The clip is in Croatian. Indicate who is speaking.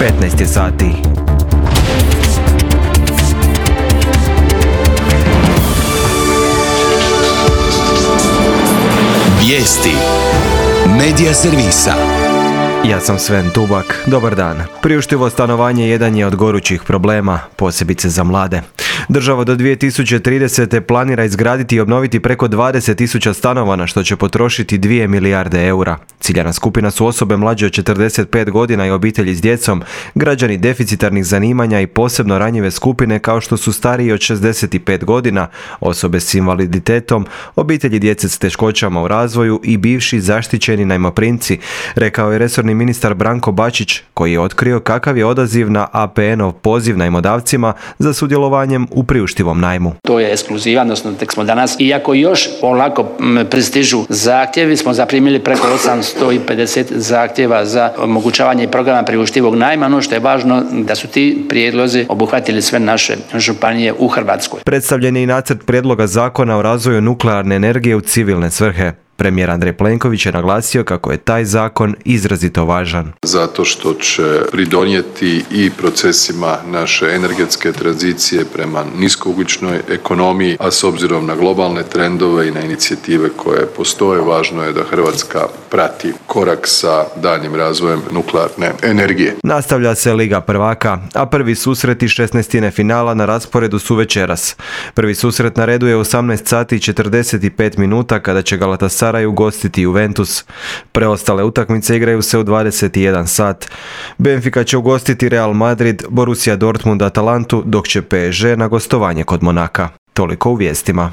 Speaker 1: 15 je sati.
Speaker 2: Vijesti Medija servisa.
Speaker 1: Ja sam Sven Tubak, dobar dan. Priuštivo stanovanje jedan je od gorućih problema, posebice za mlade. Država do 2030. planira izgraditi i obnoviti preko 20.000 stanova, na što će potrošiti 2 milijarde eura. Ciljana skupina su osobe mlađe od 45 godina i obitelji s djecom, građani deficitarnih zanimanja i posebno ranjive skupine kao što su stariji od 65 godina, osobe s invaliditetom, obitelji djece s teškoćama u razvoju i bivši zaštićeni najmoprimci, rekao je resorni ministar Branko Bačić, koji je otkrio kakav je odaziv na APN-ov poziv najmodavcima za sudjelovanjem u priuštivom najmu.
Speaker 3: To je ekskluziva, odnosno tek smo danas, iako još polako pristižu zahtjevi, smo zaprimili preko 850 zahtjeva za omogućavanje programa priuštivog najma. Ono što je važno da su ti prijedlozi obuhvatili sve naše županije u Hrvatskoj.
Speaker 1: Predstavljen je i nacrt prijedloga zakona o razvoju nuklearne energije u civilne svrhe. Premijer Andrej Plenković je naglasio kako je taj zakon izrazito važan.
Speaker 4: Zato što će pridonijeti i procesima naše energetske tranzicije prema niskougljičnoj ekonomiji, a s obzirom na globalne trendove i na inicijative koje postoje, važno je da Hrvatska prati korak sa daljnjim razvojem nuklearne energije.
Speaker 1: Nastavlja se Liga prvaka, a prvi susret i 16. finala na rasporedu su večeras. Prvi susret na redu je u 18 sati i 45 minuta kada će Galatasaray ugostiti Juventus. Preostale utakmice igraju se u 21 sat. Benfica će ugostiti Real Madrid, Borussia Dortmund Atalantu, dok će PSG na gostovanje kod Monaka. Toliko u vijestima.